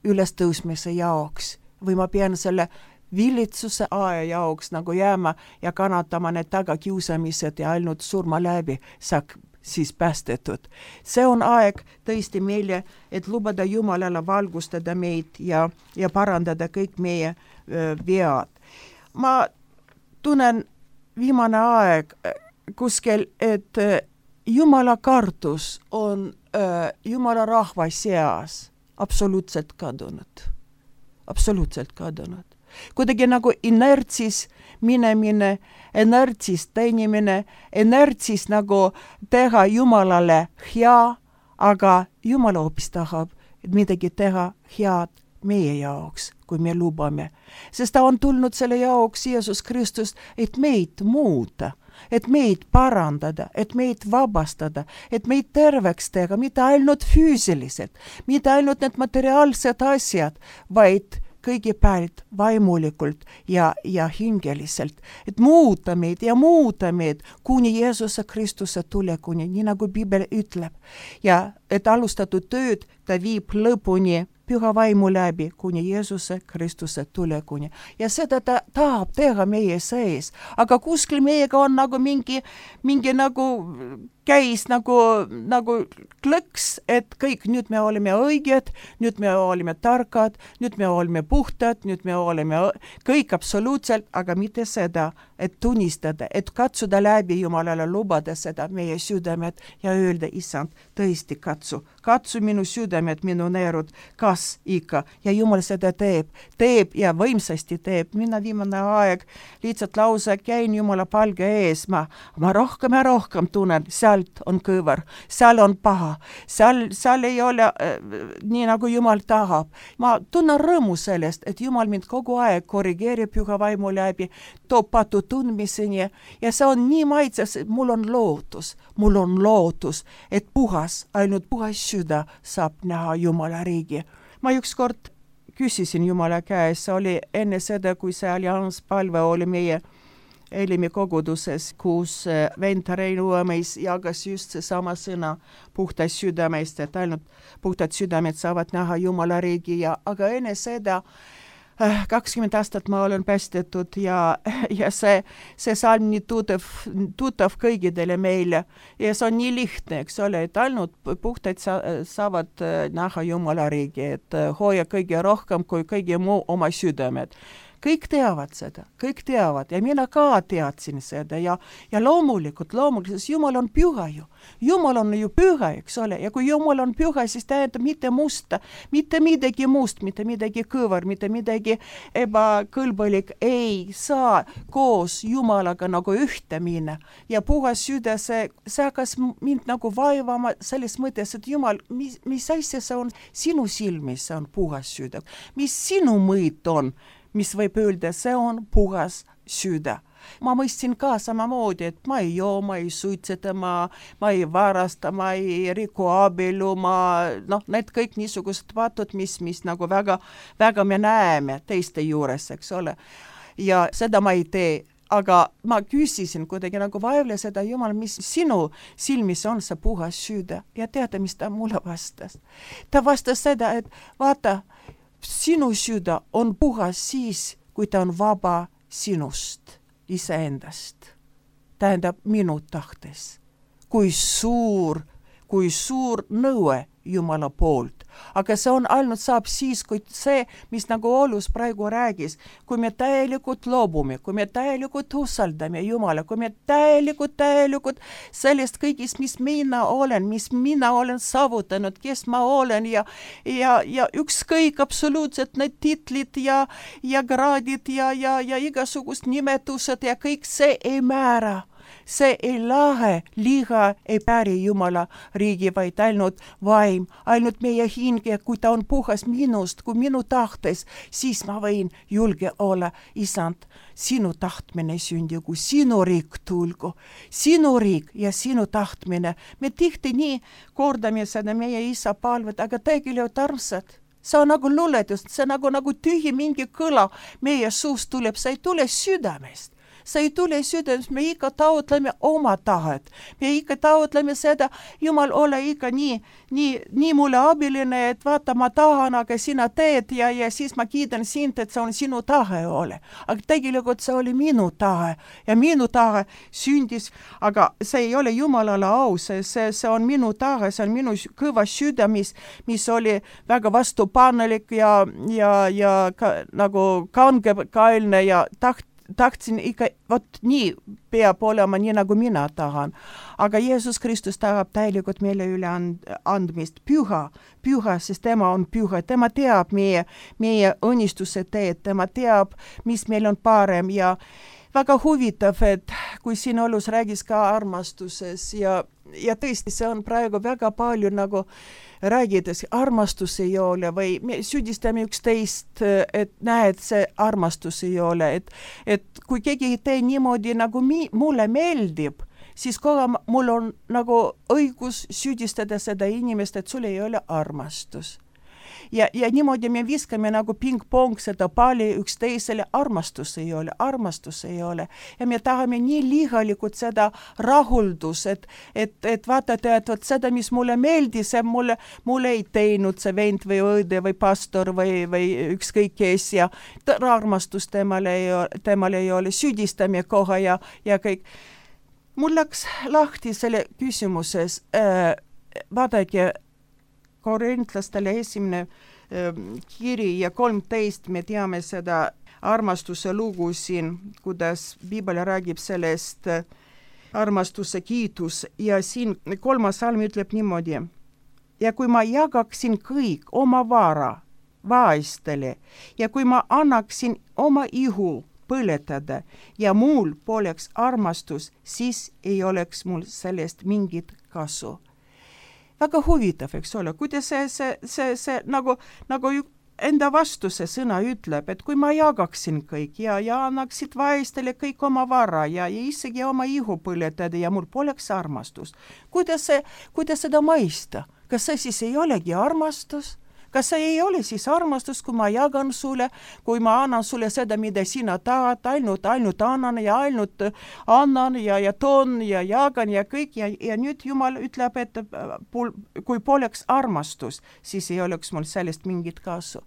ülestõusmise jaoks või ma pean selle vilitsuse aja jaoks nagu jääma ja kannatama need tagakiusamised ja ainult surma läbi saab siis päästetud. See on aeg tõesti meile, et lubada Jumalale valgustada meid ja, ja parandada kõik meie öö, vead. Ma tunnen viimane aeg kuskil, et Jumala kartus on öö, Jumala rahva seas absoluutselt kadunud. Absoluutselt kadunud. Kuidagi nagu inertsis minemine, inertsis teenimine, inertsis nagu teha Jumalale hea, aga Jumal hoopis tahab midagi teha head meie jaoks, kui me lubame. Sest ta on tulnud selle jaoks, Jeesus Kristus, et meid muuta, et meid parandada, et meid vabastada, et meid terveks teha, mitte ainult füüsiliselt, mitte ainult need materiaalsed asjad, vaid kõigepealt vaimulikult ja, ja hingeliselt, et muuta meid ja muuta meid kuni Jeesuse Kristuse tulekuni, nii nagu Piibel ütleb. Ja et alustatud tööd ta viib lõpuni püha vaimu läbi kuni Jeesuse Kristuse tulekuni. Ja seda ta tahab teha meie sees, aga kuskil meiega on nagu mingi, mingi nagu käis nagu, nagu klõks, et kõik, nüüd me oleme õiged, nüüd me oleme tarkad, nüüd me oleme puhtad, nüüd me oleme kõik absoluutselt, aga mitte seda, et tunnistada, et katsuda läbi Jumalale, lubada seda meie südamed ja öelda, Issand, tõesti katsu, katsu minu südamed, minu neerud, kas ikka, ja Jumal seda teeb, teeb ja võimsasti teeb. Mina viimane aeg lihtsalt lause käin Jumala palge ees, ma, ma rohkem ja rohkem tunnen, sealt on kõver, seal on paha, seal, seal ei ole äh, nii nagu Jumal tahab. Ma tunnen rõõmu sellest, et Jumal mind kogu aeg korrigeerib püha vaimu läbi, toob patu tundmiseni ja see on nii maitses, et mul on lootus, mul on lootus, et puhas, ainult puhas süda saab näha Jumala riigi. Ma ükskord küsisin Jumala käes, oli enne seda, kui see allianspalve oli meie Elimi koguduses, kus vend Rein Uuemeis jagas just see sama sõna puhtad südameist, et ainult puhtad südamed saavad näha Jumala riigi, ja, aga enne seda kakskümmend aastat ma olen päästetud ja, ja see, see salm nii tuttav, tuttav kõigidele meile ja see on nii lihtne, eks ole, et ainult puhtad sa, saavad näha Jumala riigi, et hoia kõige rohkem kui kõige muu oma südamed. Kõik teavad seda, kõik teavad ja mina ka teadsin seda ja, ja loomulikult, loomulikult, sest Jumal on püha ju. Jumal on ju püha, eks ole, ja kui Jumal on püha, siis tähendab mitte musta, mitte midagi must, mitte midagi kõvar, mitte midagi ebakõlbalik ei saa koos Jumalaga nagu ühte minna. Ja puhas süda, see, see hakkas mind nagu vaevama selles mõttes, et Jumal, mis, mis asja see on sinu silmis, see on puhas süda, mis sinu mõõt on, mis võib öelda, see on puhas süda. Ma mõistsin ka samamoodi, et ma ei joo, ma ei suitseta, ma, ma ei varasta, ma ei riku abielu, ma, noh, need kõik niisugused vatud, mis, mis nagu väga, väga me näeme teiste juures, eks ole. Ja seda ma ei tee. Aga ma küsisin kuidagi nagu vaevle seda, Jumal, mis sinu silmis on see puhas süda. Ja teada, mis ta mulle vastas. Ta vastas seda, et vaata, sinu süda on puhas siis, kui ta on vaba sinust, iseendast. Tähendab minu tahtes. Kui suur, kui suur nõue Jumala poolt. Aga see on ainult saab siis, kui see, mis nagu Olus praegu räägis, kui me täielikult loobume, kui me täielikult usaldame Jumala, kui me täielikult, täielikult sellest kõigist, mis mina olen, mis mina olen saavutanud, kes ma olen ja, ja, ja ükskõik absoluutselt need titlid ja, ja kraadid ja, ja, ja igasugust nimetused ja kõik see ei määra. See ei lahe, liha ei päri Jumala riigi, vaid ainult vaim, ainult meie hinge, kui ta on puhas minust, kui minu tahtes, siis ma võin julge olla, Isand, sinu tahtmine sündigu, sinu riik tulgu, sinu riik ja sinu tahtmine. Me tihti nii kordame seda meie isa palvet, aga tegelikult armsad. See on nagu luuletus, see nagu, nagu tühi mingi kõla meie suust tuleb, see ei tule südamest. see ei tule südamest, me ikka taotleme oma tahet. Me ikka taotleme seda, Jumal, ole ikka nii, nii, nii mulle abiline, et vaata, ma tahan, aga sina teed ja, ja siis ma kiidan sind, et see on sinu tahe ole. Aga tegelikult see oli minu tahe ja minu tahe sündis, aga see ei ole Jumalale au, see, see, see on minu tahe, see on minu kõva süda, mis, mis oli väga vastupanelik ja, ja, ja ka, nagu kangekaelne ja taht, tahtsin ikka, vot nii peab olema, nii nagu mina tahan. Aga Jeesus Kristus tahab täielikult meile üle and, andmist. Püha, püha, sest tema on püha. Tema teab meie, meie õnnistuse teed, tema teab, mis meil on parem ja väga huvitav, et kui siin Olus räägis ka armastuses ja, ja tõesti, see on praegu väga palju nagu räägides, armastus ei ole või me süüdistame üksteist, et näed, see armastus ei ole, et, et kui keegi ei tee niimoodi, nagu mi, mulle meeldib, siis kohe mul on nagu õigus süüdistada seda inimest, et sul ei ole armastus. Ja, ja niimoodi me viskame nagu ping-pong seda palli üksteisele, armastus ei ole, armastus ei ole. Ja me tahame nii lihalikult seda rahuldus, et, et, et vaatate, et võt seda, mis mulle meeldis, see mulle, mulle ei teinud see vend või õde või pastor või, või ükskõik kes ja armastus temale ei ole, temale ei ole, süüdistame kohe ja, ja kõik. Mul läks lahti selle küsimuses, äh, vaadake, korintlastele esimene äh, kiri ja kolmteist, me teame seda armastuse lugu siin, kuidas Piibel räägib sellest äh, armastuse kiitus ja siin kolmas salm ütleb niimoodi. Ja kui ma jagaksin kõik oma vara vaestele ja kui ma annaksin oma ihu põletada ja mul poleks armastus, siis ei oleks mul sellest mingit kasu. Väga huvitav, eks ole, kuidas see, see, see, see nagu, nagu enda vastu see sõna ütleb, et kui ma jagaksin kõik ja, ja annaksid vaestele kõik oma vara ja, ja isegi oma ihu põletada ja mul poleks armastus. Kuidas, see, kuidas seda mõista? Kas see siis ei olegi armastus? Kas see ei ole siis armastus, kui ma jagan sulle, kui ma annan sulle seda, mida sina tahad, ainult, ainult annan ja ainult annan ja, ja toon ja jagan ja kõik ja, ja nüüd Jumal ütleb, et kui poleks armastus, siis ei oleks mul sellest mingit kasu.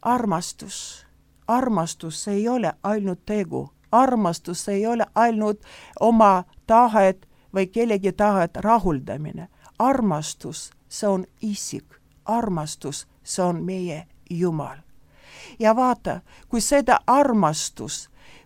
Armastus, armastus ei ole ainult tegu, armastus ei ole ainult oma tahet või kellegi tahet rahuldamine. Armastus, see on isik. Armastus, see on meie Jumal. Ja vaata, kui seda armastus,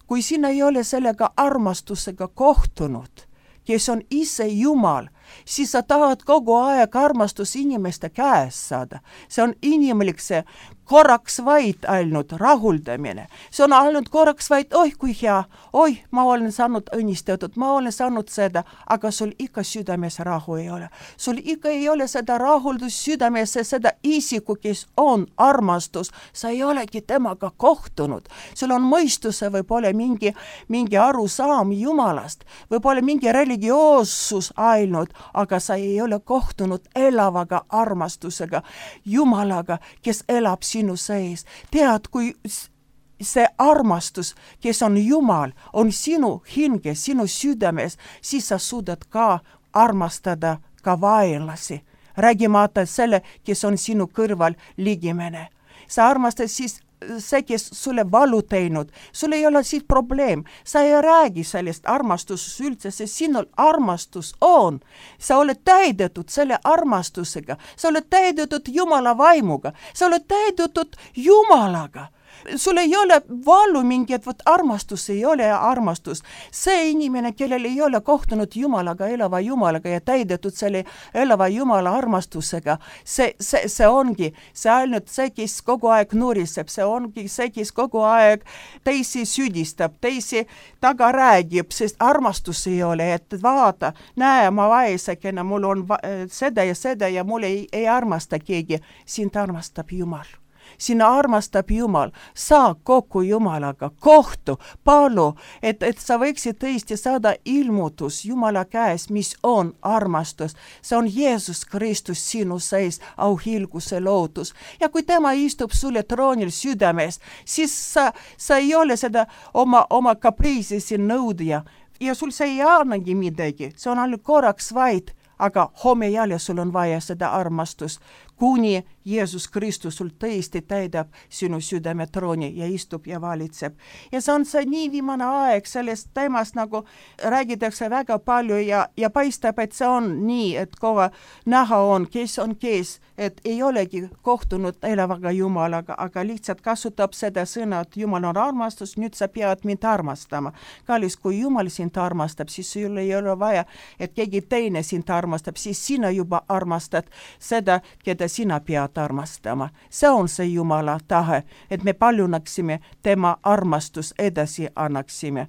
kui sina ei ole sellega armastusega kohtunud, kes on ise Jumal, siis sa tahad kogu aeg armastus inimeste käes saada. See on inimlik, see korraks vaid ainult rahuldamine. See on ainult korraks vaid, oi kui hea, oi, ma olen saanud õnnistatud, ma olen saanud seda, aga sul ikka südames rahu ei ole. Sul ikka ei ole seda rahuldus südames, seda isiku, kes on armastus. Sa ei olegi temaga kohtunud. Sul on mõistuse, võib-olla mingi, mingi arusaam Jumalast, võib-olla mingi religioossus ainult, aga sa ei ole kohtunud elavaga armastusega, Jumalaga, kes elab sinu sees. Tead, kui see armastus, kes on Jumal, on sinu hinge, sinu südames, siis sa suudad ka armastada ka vaenlasi. Räägimata selle, kes on sinu kõrval ligimene. Sa armastad siis see, kes sulle valu teinud, sul ei ole siis probleem. Sa ei räägi sellest armastusest üldse, sest sinul armastus on. Sa oled täidetud selle armastusega. Sa oled täidetud Jumala vaimuga. Sa oled täidetud Jumalaga. Sul ei ole valu mingi, et võt armastus ei ole armastus. See inimene, kellel ei ole kohtunud Jumalaga, elava Jumalaga ja täidetud selle elava Jumala armastusega, see, see, see ongi see ainult see, kes kogu aeg nuriseb, see ongi see, kes kogu aeg teisi süüdistab, teisi taga räägib, sest armastus ei ole, et vaata, näe, ma vaesekene, mul on va- seda ja seda ja mul ei, ei armasta keegi, sind armastab Jumal. sina armastab Jumal, saa kokku Jumalaga, kohtu, palu, et, et sa võiksid tõesti saada ilmutus Jumala käes, mis on armastus. See on Jeesus Kristus sinu sees, auhilguse lootus. Ja kui tema istub sulle troonil südames, siis sa, sa ei ole seda oma, oma kapriisi siin nõudja ja sul see ei annagi midagi, see on ainult korraks vaid, aga homme jälle sul on vaja seda armastust, kuni Jeesus Kristus sul tõesti täidab sinu südame trooni ja istub ja valitseb. Ja see on see nii viimane aeg, sellest teemast nagu räägitakse väga palju ja, ja paistab, et see on nii, et kogu näha on, kes on kes, et ei olegi kohtunud elavaga Jumalaga, aga lihtsalt kasutab seda sõna, et Jumal on armastus, nüüd sa pead mind armastama. Kallis, kui Jumal sind armastab, siis sul ei ole vaja, et keegi teine sind armastab, siis sina juba armastad seda, keda sina pead armastama. See on see Jumala tahe, et me paljunaksime tema armastus edasi annaksime.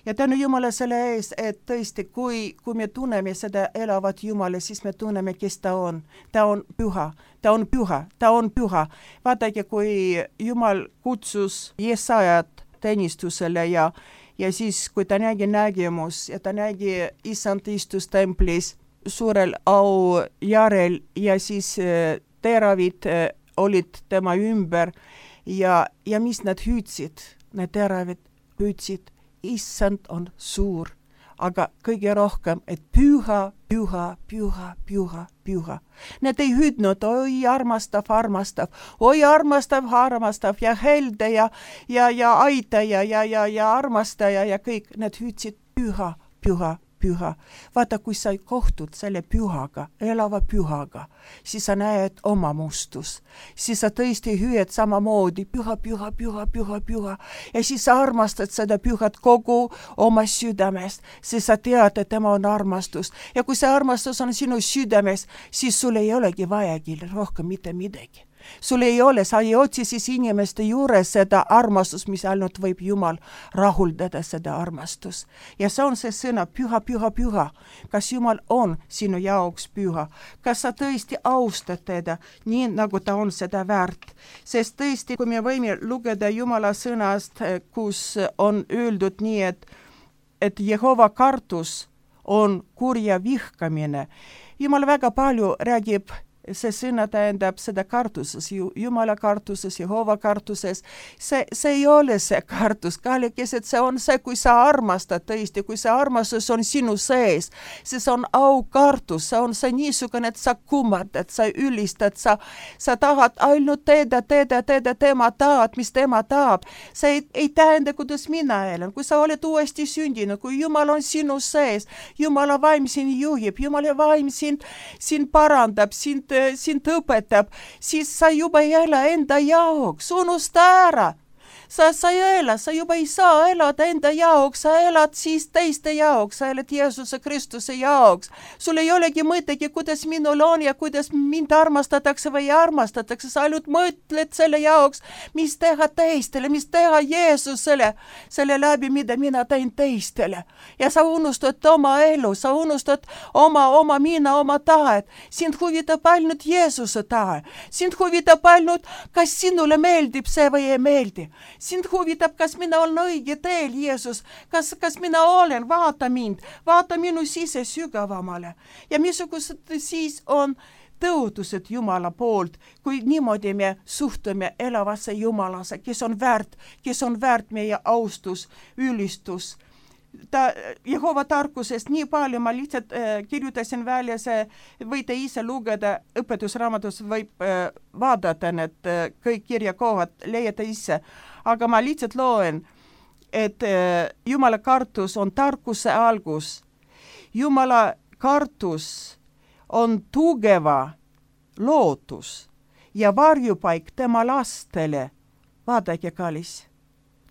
Ja tänu Jumala selle ees, et tõesti, kui, kui me tunneme seda elavat Jumala, siis me tunneme, kes ta on. Ta on püha, ta on püha, ta on püha. Vaadake, kui Jumal kutsus Jesajat teenistusele ja, ja siis, kui ta nägi nägemus ja ta nägi Issand istus templis suurel au järel ja siis teravid olid tema ümber ja, ja mis nad hüüdsid, need teravid hüüdsid, Issand on suur, aga kõige rohkem, et püha, püha, püha, püha, püha. Need ei hüüdnud, oi armastav, armastav, oi armastav, armastav ja helde ja, ja, ja aitaja ja, ja, ja armastaja ja kõik, need hüüdsid püha, püha, püha. Vaata, kui sa kohtud selle pühaga, elava pühaga, siis sa näed oma mustus. Siis sa tõesti hüüed samamoodi püha, püha, püha, püha, püha. Ja siis sa armastad seda pühat kogu oma südamest, siis sa tead, et tema on armastus. Ja kui see armastus on sinu südames, siis sul ei olegi vajagi rohkem mitte midagi. Sul ei ole, sa ei otsi siis inimeste juures seda armastus, mis ainult võib Jumal rahuldada seda armastus. Ja see on see sõna püha, püha, püha. Kas Jumal on sinu jaoks püha? Kas sa tõesti austad teda nii, nagu ta on seda väärt? Sest tõesti, kui me võime lugeda Jumala sõnast, kus on öeldud nii, et, et Jehova kartus on kurja vihkamine. Jumal väga palju räägib, see sõna tähendab seda kartuses, Jumala kartuses, Jehova kartuses. See, see ei ole see kartus, kallikesed, see on see, kui sa armastad tõesti, kui see armastus on sinu sees, siis on aukartus, see on see niisugune, et sa kummardad, sa ülistad, sa, sa tahad ainult teeda, teeda, teeda, tema tahad, mis tema tahab. See ei, ei tähenda, kuidas mina elan, kui sa oled uuesti sündinud, kui Jumal on sinu sees, Jumala vaim sind juhib, Jumala vaim sind, sind parandab, sind sind õpetab, siis sa juba ei ela enda jaoks, unusta ära. Sa, sa ei ela, sa juba ei saa elada enda jaoks, sa elad siis teiste jaoks, sa elad Jeesuse Kristuse jaoks. Sul ei olegi mõttegi, kuidas minul on ja kuidas mind armastatakse või armastatakse, sa ainult mõtled selle jaoks, mis teha teistele, mis teha Jeesusele, selle läbi, mida mina teen teistele. Ja sa unustad oma elu, sa unustad oma, oma mina, oma tahet. Sind huvitab ainult Jeesuse tahe. Sind huvitab ainult, kas sinule meeldib see või ei meeldi. Sind huvitab, kas mina olen õige teel, Jeesus, kas, kas mina olen, vaata mind, vaata minu sise sügavamale. Ja missugused siis on tõotused Jumala poolt, kui niimoodi me suhtume elavasse Jumalasse, kes on väärt, kes on väärt meie austus, ülistus. Ta, Jehova tarkusest nii palju, ma lihtsalt äh, kirjutasin välja, see võite ise lugeda, õpetusraamatus võib äh, vaadata need äh, kõik kirjakohad, leiate ise, aga ma lihtsalt loen, et äh, Jumala kartus on tarkuse algus. Jumala kartus on tugeva lootus ja varjupaik tema lastele. Vaadake, kallis,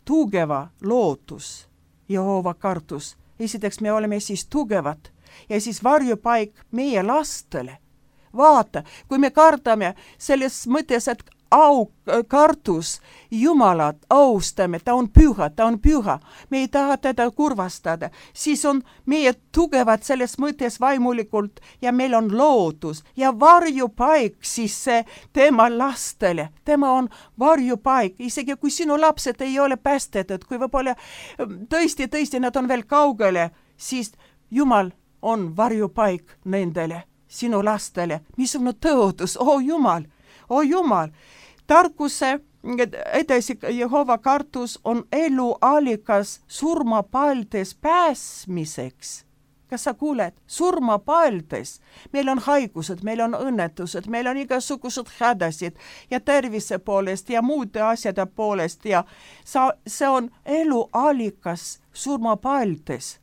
tugeva lootus. Jehova kartus. Esiteks me oleme siis tugevad ja siis varjupaik meie lastele. Vaata, kui me kardame selles mõttes, et au kartus Jumalat austame, ta on püha, ta on püha, me ei taha teda kurvastada, siis on meie tugevad selles mõttes vaimulikult ja meil on lootus ja varjupaik siis see tema lastele, tema on varjupaik, isegi kui sinu lapsed ei ole päästetud, kui võib-olla tõesti, tõesti nad on veel kaugele, siis Jumal on varjupaik nendele, sinu lastele, missugune tõotus, o Jumal, o Jumal, tarkuse edasi Jehova kartus on elu allikas surmapaldes pääsmiseks. Kas sa kuuled? Surmapaldes. Meil on haigused, meil on õnnetused, meil on igasugused hädasid ja tervise poolest ja muude asjade poolest ja sa, see on elu allikas surmapaldes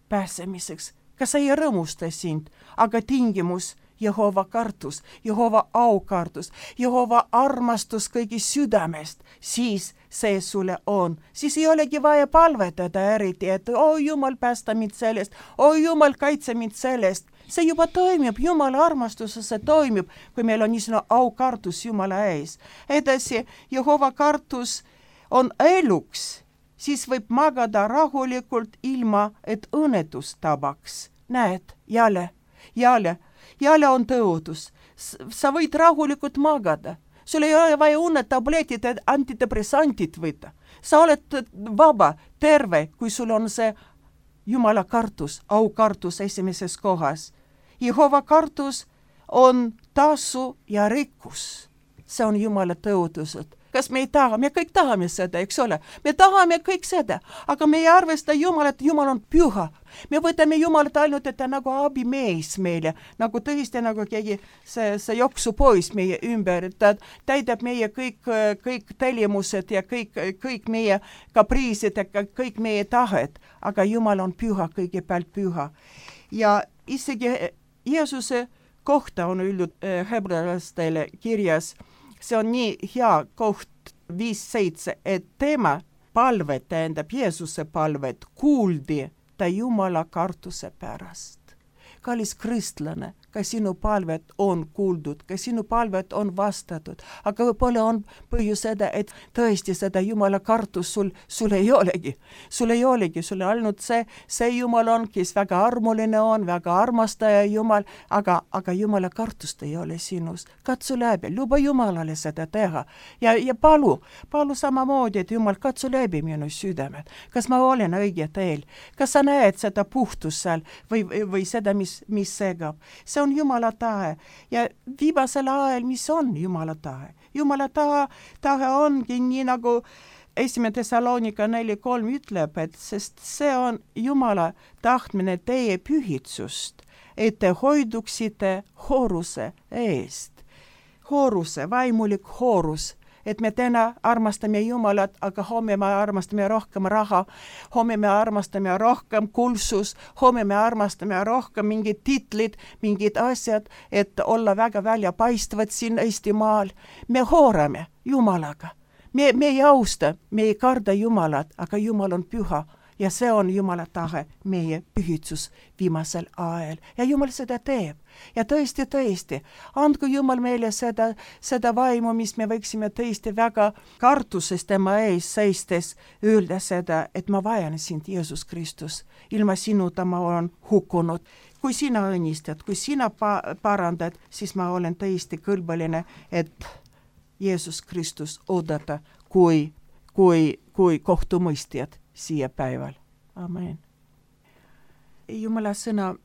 pääsemiseks. Kas sa ei rõõmusta sind, aga tingimus Jehova kartus, Jehova aukartus, Jehova armastus kõigi südamest, siis see sulle on. Siis ei olegi vaja palvetada eriti, et o Jumal, päästa mind sellest, o Jumal, kaitse mind sellest. See juba toimib, Jumala armastuses see toimib, kui meil on niisugune aukartus Jumala ees. Edasi, Jehova kartus on eluks, siis võib magada rahulikult ilma, et õnnetus tabaks. Näed, jälle, jälle, jälle on tõotus. Sa võid rahulikult magada. Sul ei ole vaja unetabletid ja antidepressantid võtta. Sa oled vaba, terve, kui sul on see Jumala kartus, aukartus esimeses kohas. Jehova kartus on tasu ja rikkus. See on Jumala tõotused. Kas me ei taha? Me kõik tahame seda, eks ole? Me tahame kõik seda, aga me ei arvesta Jumalat, Jumal on püha. Me võtame Jumalat ainult, et ta nagu abimees meile, nagu tõesti nagu keegi see, see joksupois meie ümber, ta täidab meie kõik, kõik tellimused ja kõik, kõik meie kapriisid ja kõik meie tahet, aga Jumal on püha, kõigepealt püha. Ja isegi Jeesuse kohta on öeldud hebrealastele kirjas, see on nii hea koht viis seitse, et tema palvet, tähendab Jeesuse palvet, kuuldi ta Jumala kartuse pärast. Kallis kristlane, ka sinu palvet on kuuldud, ka sinu palvet on vastatud, aga võib-olla on põhjus seda, et tõesti seda Jumala kartus sul, sul ei olegi. Sul ei olegi, sul ainult see, see Jumal on, kes väga armuline on, väga armastaja Jumal, aga, aga Jumala kartust ei ole sinus. Katsu läbi, luba Jumalale seda teha ja, ja palu, palu samamoodi, et Jumal, katsu läbi minu südamed. Kas ma olen õige teel? Kas sa näed seda puhtust seal või, või seda, mis, mis segab? See on Jumala tahe ja viimasel ajal, mis on Jumala tahe? Jumala tahe, tahe ongi nii nagu esimene Thessalonika neli kolm ütleb, et sest see on Jumala tahtmine teie pühitsust, et te hoiduksite hooruse eest. Hooruse, vaimulik hoorus. Et me täna armastame Jumalat, aga homme me armastame rohkem raha, homme me armastame rohkem kulsus, homme me armastame rohkem mingid titlid, mingid asjad, et olla väga väljapaistvad siin Eestimaal. Me hoorame Jumalaga. Me, me ei austa, me ei karda Jumalat, aga Jumal on püha. Ja see on Jumala tahe, meie pühitsus viimasel ajal. Ja Jumal seda teeb. Ja tõesti, tõesti, andku Jumal meile seda, seda vaimu, mis me võiksime tõesti väga kartuses tema ees seistes öelda seda, et ma vajan sind, Jeesus Kristus. Ilma sinuta ma olen hukkunud. Kui sina õnnistad, kui sina pa- parandad, siis ma olen tõesti kõlbaline, et Jeesus Kristus oodata kui, kui, kui kohtumõistjad siia päeval. Amen. Jumala sõna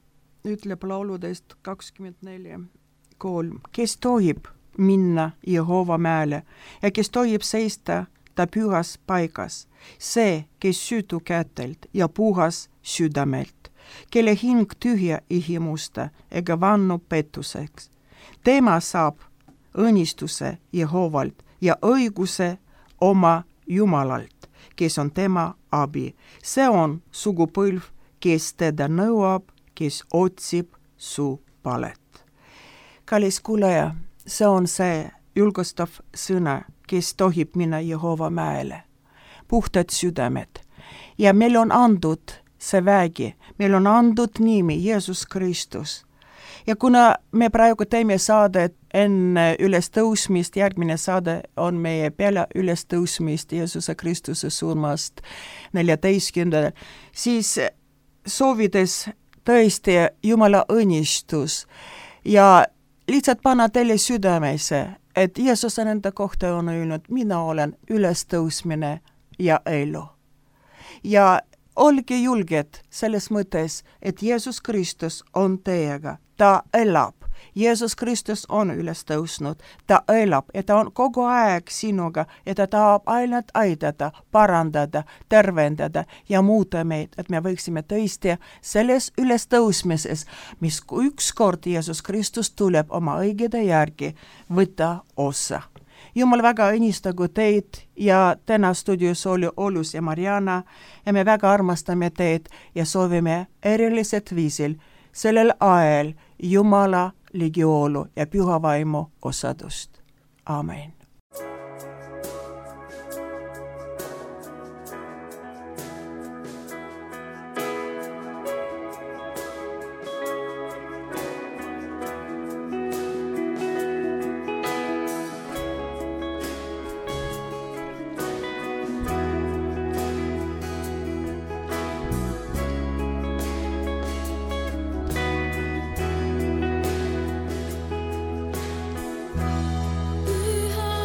ütleb lauludest kakskümmend neli kolm. Kes tohib minna Jehova mäele ja kes tohib seista ta pühas paigas, see, kes süütu kätelt ja puhas südamelt, kelle hing tühja ihimusta ega vannu pettuseks. Tema saab õnnistuse Jehovalt ja õiguse oma Jumalalt, kes on tema abi. See on sugupõlv, kes teda nõuab, kes otsib su palet. Kallis kuulaja, see on see julgustav sõna, kes tohib minna Jehova mäele. Puhtad südamed. Ja meil on andud see vägi, meil on andud nimi Jeesus Kristus. ja kuna me praegu teeme saadet enne ülestõusmist, järgmine saade on meie peale ülestõusmist Jeesuse Kristuse surmast neljateistkümnendal, siis soovides tõesti Jumala õnnistus ja lihtsalt panna teile südamesse, et Jeesus on enda kohta on öelnud, mina olen ülestõusmine ja elu. Ja olge julged selles mõttes, et Jeesus Kristus on teiega, ta elab. Jeesus Kristus on üles tõusnud, ta elab ja ta on kogu aeg sinuga ja ta tahab ainult aidata, parandada, tervendada ja muuta meid, et me võiksime tõesti selles üles tõusmises, mis ükskord Jeesus Kristus tuleb oma õigede järgi, võtta osa. Jumal väga õnnistagu teid ja täna stuudios oli Olus ja Mariana ja me väga armastame teid ja soovime erilised viisil sellel ajal Jumala ligioolu ja püha vaimu osadust. Amen.
Pyhä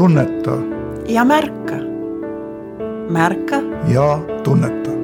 tunneta
ja märka. Märka
ja tunneta.